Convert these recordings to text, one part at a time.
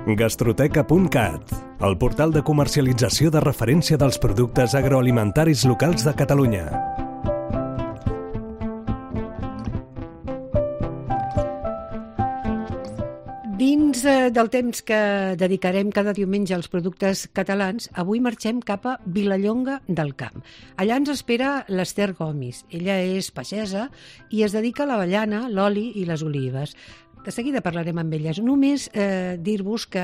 Gastroteca.cat, el portal de comercialització de referència dels productes agroalimentaris locals de Catalunya. Dins del temps que dedicarem cada diumenge als productes catalans, avui marxem cap a Vilallonga del Camp. Allà ens espera l'Ester Gomis. Ella és pagesa i es dedica a l'avellana, l'oli i les olives. De seguida parlarem amb elles. Només dir-vos que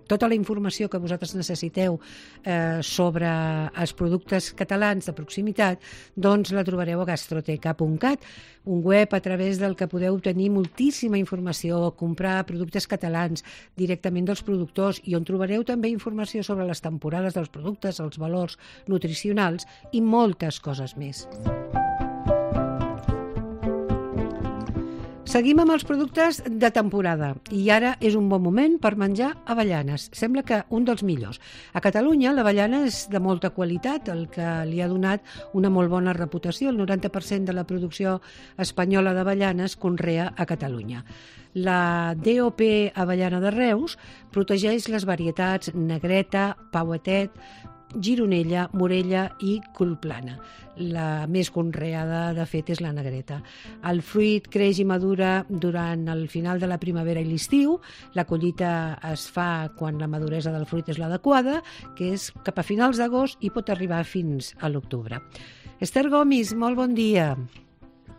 tota la informació que vosaltres necessiteu sobre els productes catalans de proximitat, doncs la trobareu a gastroteca.cat, un web a través del que podeu obtenir moltíssima informació, comprar productes catalans directament dels productors i on trobareu també informació sobre les temporades dels productes, els valors nutricionals i moltes coses més. Seguim amb els productes de temporada i ara és un bon moment per menjar avellanes. Sembla que un dels millors. A Catalunya l'avellana és de molta qualitat, el que li ha donat una molt bona reputació. El 90% de la producció espanyola d'avellanes conrea a Catalunya. La DOP Avellana de Reus protegeix les varietats negreta, pauetet, gironella, morella i colplana. La més conreada, de fet, és la negreta. El fruit creix i madura durant el final de la primavera i l'estiu. La collita es fa quan la maduresa del fruit és l'adequada, que és cap a finals d'agost i pot arribar fins a l'octubre. Ester Gomis, molt bon dia.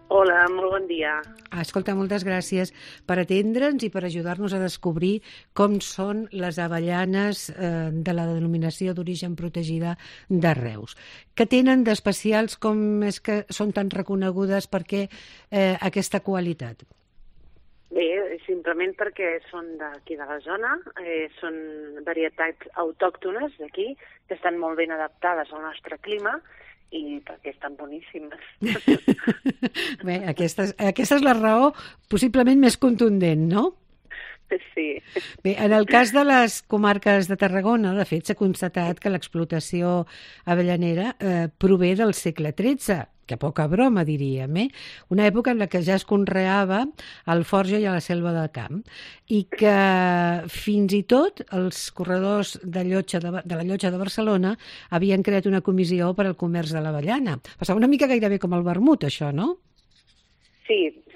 Hola, molt bon dia. Escolta, moltes gràcies per atendre'ns i per ajudar-nos a descobrir com són les avellanes de la denominació d'origen protegida de Reus. Què tenen d'especials, com és que són tan reconegudes, per què aquesta qualitat? Bé, simplement perquè són d'aquí de la zona, són varietats autòctones d'aquí, que estan molt ben adaptades al nostre clima, i perquè estan boníssimes. Bé, aquesta és la raó possiblement més contundent, no? Sí. Bé, en el cas de les comarques de Tarragona, de fet, s'ha constatat que l'explotació avellanera prové del segle XIII, que poca broma, diríem, una època en la que ja es conreava al Forja i a la Selva del Camp, i que fins i tot els corredors de la Llotja de Barcelona havien creat una comissió per al comerç de l'avellana. Passava una mica gairebé com el vermut, això, no?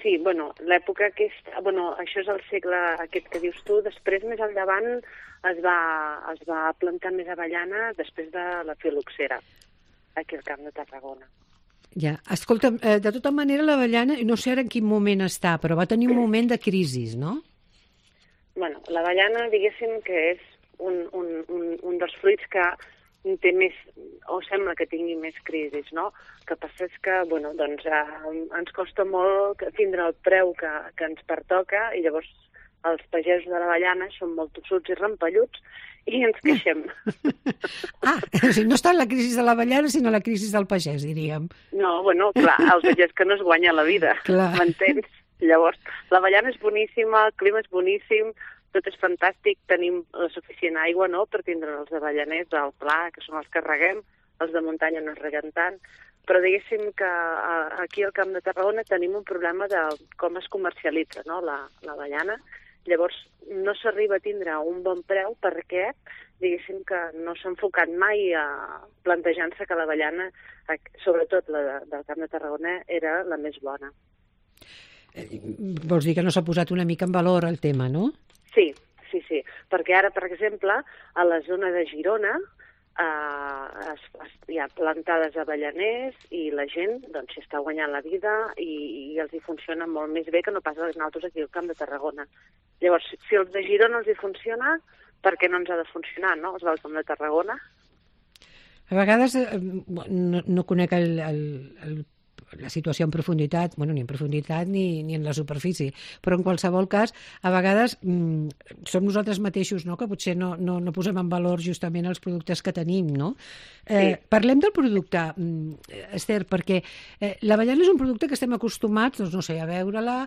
Sí, bueno, l'època aquesta, bueno, això és el segle aquest que dius tu, després més endavant es va plantar més avellana després de la filoxera, aquí al Camp de Tarragona. Ja, escolta'm, de tota manera l'avellana, no sé ara en quin moment està, però va tenir un moment de crisi, no? Bueno, l'avellana, diguéssim que és un dels fruits que té més, o sembla que tingui més crisis, no? El que passa és que, bueno, doncs ens costa molt tindre el preu que ens pertoca i llavors els pagesos de l'avellana són molt tossuts i rampelluts i ens queixem. O sigui, no està en la crisi de l'avellana, sinó la crisi del pagès, diríem. No, bueno, clar, el pagès que no es guanya la vida, m'entens? Llavors, l'avellana és boníssima, el clima és boníssim, tot és fantàstic, tenim la suficient aigua, no?, per tindre els avellaners al pla, que són els que reguem, els de muntanya no es reguen tant, però diguéssim que aquí al Camp de Tarragona tenim un problema de com es comercialitza, no?, l'avellana. Llavors, no s'arriba a tindre un bon preu perquè, diguéssim que no s'ha enfocat mai plantejant-se que l'avellana, sobretot la del Camp de Tarragona, era la més bona. Vols dir que no s'ha posat una mica en valor el tema, no? Sí, perquè ara, per exemple, a la zona de Girona hi ha plantades avellaners i la gent doncs s'hi està guanyant la vida i els hi funciona molt més bé que no pas a nosaltres aquí al Camp de Tarragona. Llavors, si els de Girona els hi funciona, per què no ens ha de funcionar, no?, els del Camp de Tarragona? A vegades no conec la situació en profunditat, bueno, ni en profunditat ni en la superfície, però en qualsevol cas, a vegades som nosaltres mateixos, no?, que potser no posem en valor justament els productes que tenim, no? Sí. Parlem del producte, Ester, perquè l'avellana és un producte que estem acostumats, doncs no sé, a veure-la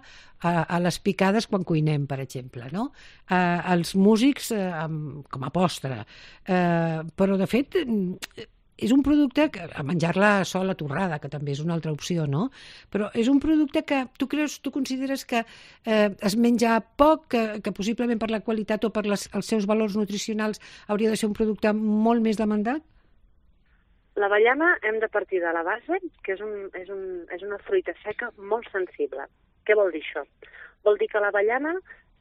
a les picades quan cuinem, per exemple, no? Els músics com a postre, però de fet és un producte que, a menjar-la sola torrada, que també és una altra opció, no? Però és un producte que tu consideres que es menja poc, que possiblement per la qualitat o per els seus valors nutricionals hauria de ser un producte molt més demandat? L'avellana hem de partir de la base, que és una fruita seca molt sensible. Què vol dir això? Vol dir que l'avellana,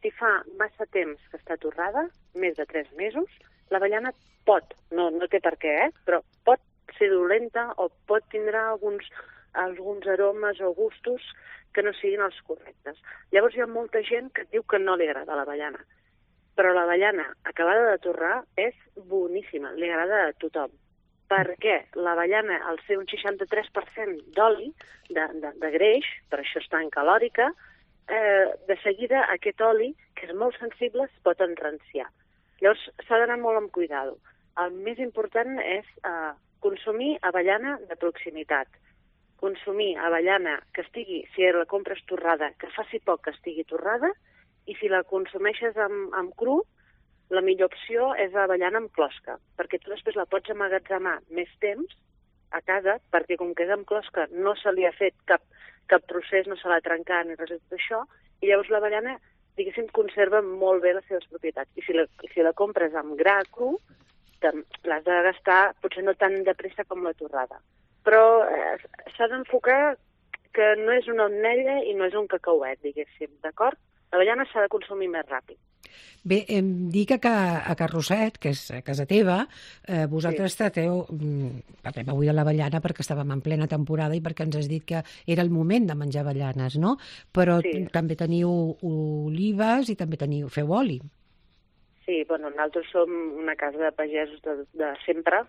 si fa massa temps que està torrada, més de 3 mesos, l'avellana pot, no té per què, però pot ser dolenta o pot tindre alguns aromes o gustos que no siguin els correctes. Llavors hi ha molta gent que diu que no li agrada l'avellana, però l'avellana acabada de torrar és boníssima, li agrada a tothom. Per què? L'avellana, al ser un 63% d'oli, de greix, per això és tan calòrica, de seguida aquest oli, que és molt sensible, es pot enranciar. Llavors s'ha d'anar molt amb cuidado. El més important és consumir avellana de proximitat. Consumir avellana que estigui, si la compres torrada, que faci poc que estigui torrada, i si la consumeixes amb cru, la millor opció és avellana amb closca, perquè tu després la pots emmagatzemar més temps a casa, perquè com que és amb closca no se li ha fet cap procés, no se l'ha trencat ni res d'això, i llavors l'avellana, diguéssim, conserva molt bé les seves propietats. I si la compres amb gra cru, l'has de gastar potser no tan de pressa com la torrada. Però s'ha d'enfocar que no és una ametlla i no és un cacauet, diguéssim, d'acord? L'avellana s'ha de consumir més ràpid. Bé, em dic que a Carrosset, que és a casa teva, vosaltres trateu, parlem avui de l'avellana perquè estàvem en plena temporada i perquè ens has dit que era el moment de menjar avellanes, no? Però també teniu olives i també feu oli. Sí, bueno, nosaltres som una casa de pagesos de sempre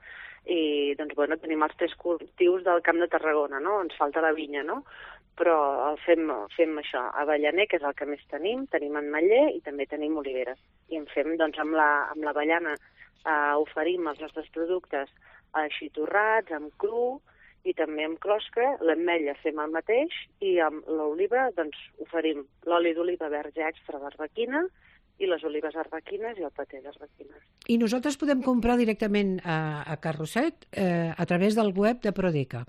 i doncs, bueno, tenim els 3 cultius del Camp de Tarragona, no? Ens falta la vinya, no? Però fem això, avellaner, que és el que més tenim ametller i també tenim oliveres. I en fem, doncs, amb l'avellana oferim els nostres productes així torrats, amb cru i també amb closca. L'ametlla fem el mateix i amb l'oliva, doncs, oferim l'oli d'oliva verge extra d'arlequina i les olives arlequines i el paté d'arlequines. I nosaltres podem comprar directament a Carrosset a través del web de Prodeca?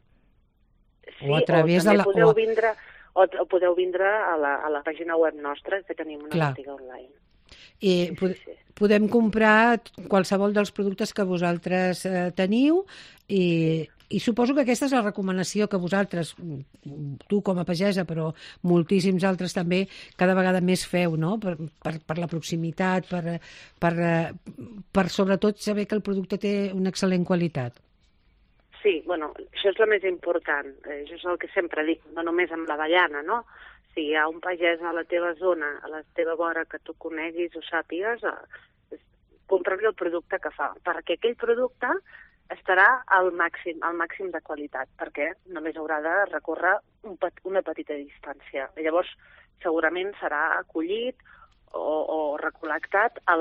Sí, o també podeu vindre a la pàgina web nostra, que tenim una botiga online. I podem comprar qualsevol dels productes que vosaltres teniu i suposo que aquesta és la recomanació que vosaltres, tu com a pagesa, però moltíssims altres també, cada vegada més feu, no? Per la proximitat, per sobretot saber que el producte té una excel·lent qualitat. Sí, bueno, això és el més important, això és el que sempre dic, no només amb l'avellana, no? Si hi ha un pagès a la teva zona, a la teva vora, que tu coneguis o sàpigues, compra-li el producte que fa, perquè aquell producte estarà al màxim de qualitat, perquè només haurà de recórrer una petita distància. Llavors, segurament serà acollit o recol·lectat a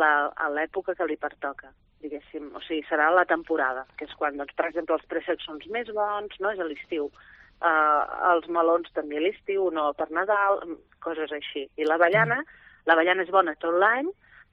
l'època que li pertoca, diguéssim. O sigui, serà la temporada, que és quan, doncs, per exemple, els préssecs són més bons, no? És a l'estiu. Els melons també a l'estiu, no per Nadal, coses així. I l'avellana és bona tot l'any,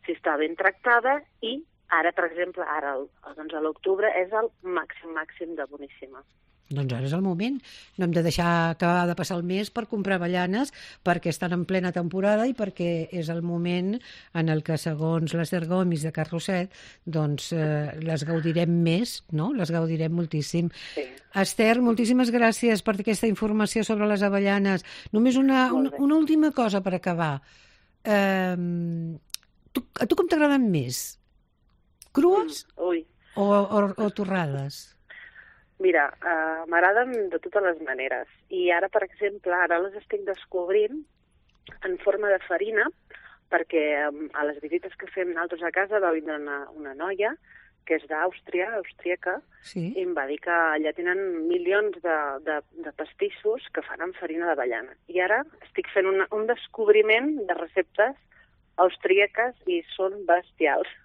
si està ben tractada, i ara, per exemple, a l'octubre és el màxim de boníssima. Doncs ara és el moment. No hem de deixar acabar de passar el mes per comprar avellanes perquè estan en plena temporada i perquè és el moment en el que, segons l'Ester Gomis de Carrosset, doncs les gaudirem més, no? Les gaudirem moltíssim. Sí. Esther, moltíssimes gràcies per aquesta informació sobre les avellanes. Només una última cosa per acabar. A tu com t'agraden més? Crues o torrades? Mira, m'agraden de totes les maneres. I ara, per exemple, les estic descobrint en forma de farina, perquè a les visites que fem nosaltres a casa va vindre una noia que és d'Àustria, austríaca, i em va dir que allà tenen milions de pastissos que fan amb farina d'avellana. I ara estic fent un descobriment de receptes austríaques i són bestials.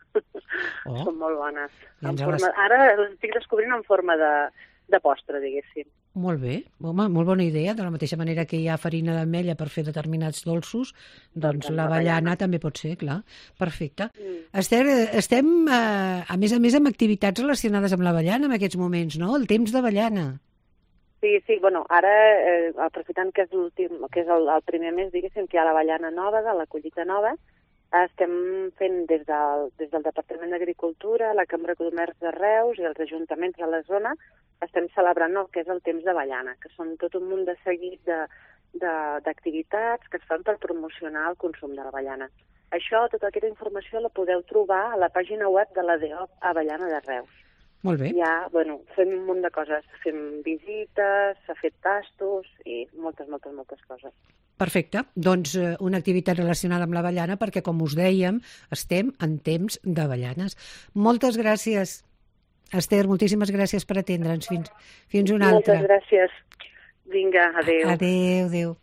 Són molt bones. Ara les estic descobrint en forma de postre, diguéssim. Molt bé, home, molt bona idea. De la mateixa manera que hi ha farina d'ametlla per fer determinats dolços, doncs l'avellana també pot ser, clar. Perfecte. Esther, estem, a més, amb activitats relacionades amb l'avellana en aquests moments, no? El temps d'avellana. Sí, bueno, ara, aprofitant que és l'últim, que és el primer mes, diguéssim, que hi ha l'avellana nova, de la collita nova, estem fent des del Departament d'Agricultura, la Cambra de Comerç de Reus i els ajuntaments de la zona, estem celebrant el que és el temps d'avellana, que són tot un munt de seguit d'activitats que es fan per promocionar el consum de l'avellana. Això, tota aquesta informació la podeu trobar a la pàgina web de la DEOP Avellana de Reus. Molt bé. Ja, bueno, fem un munt de coses. Fem visites, s'ha fet tastos i moltes coses. Perfecte. Doncs una activitat relacionada amb l'avellana perquè, com us dèiem, estem en temps d'avellanes. Moltes gràcies, Esther, moltíssimes gràcies per atendre'ns. Fins una altra. Moltes gràcies. Vinga, adéu. Adéu.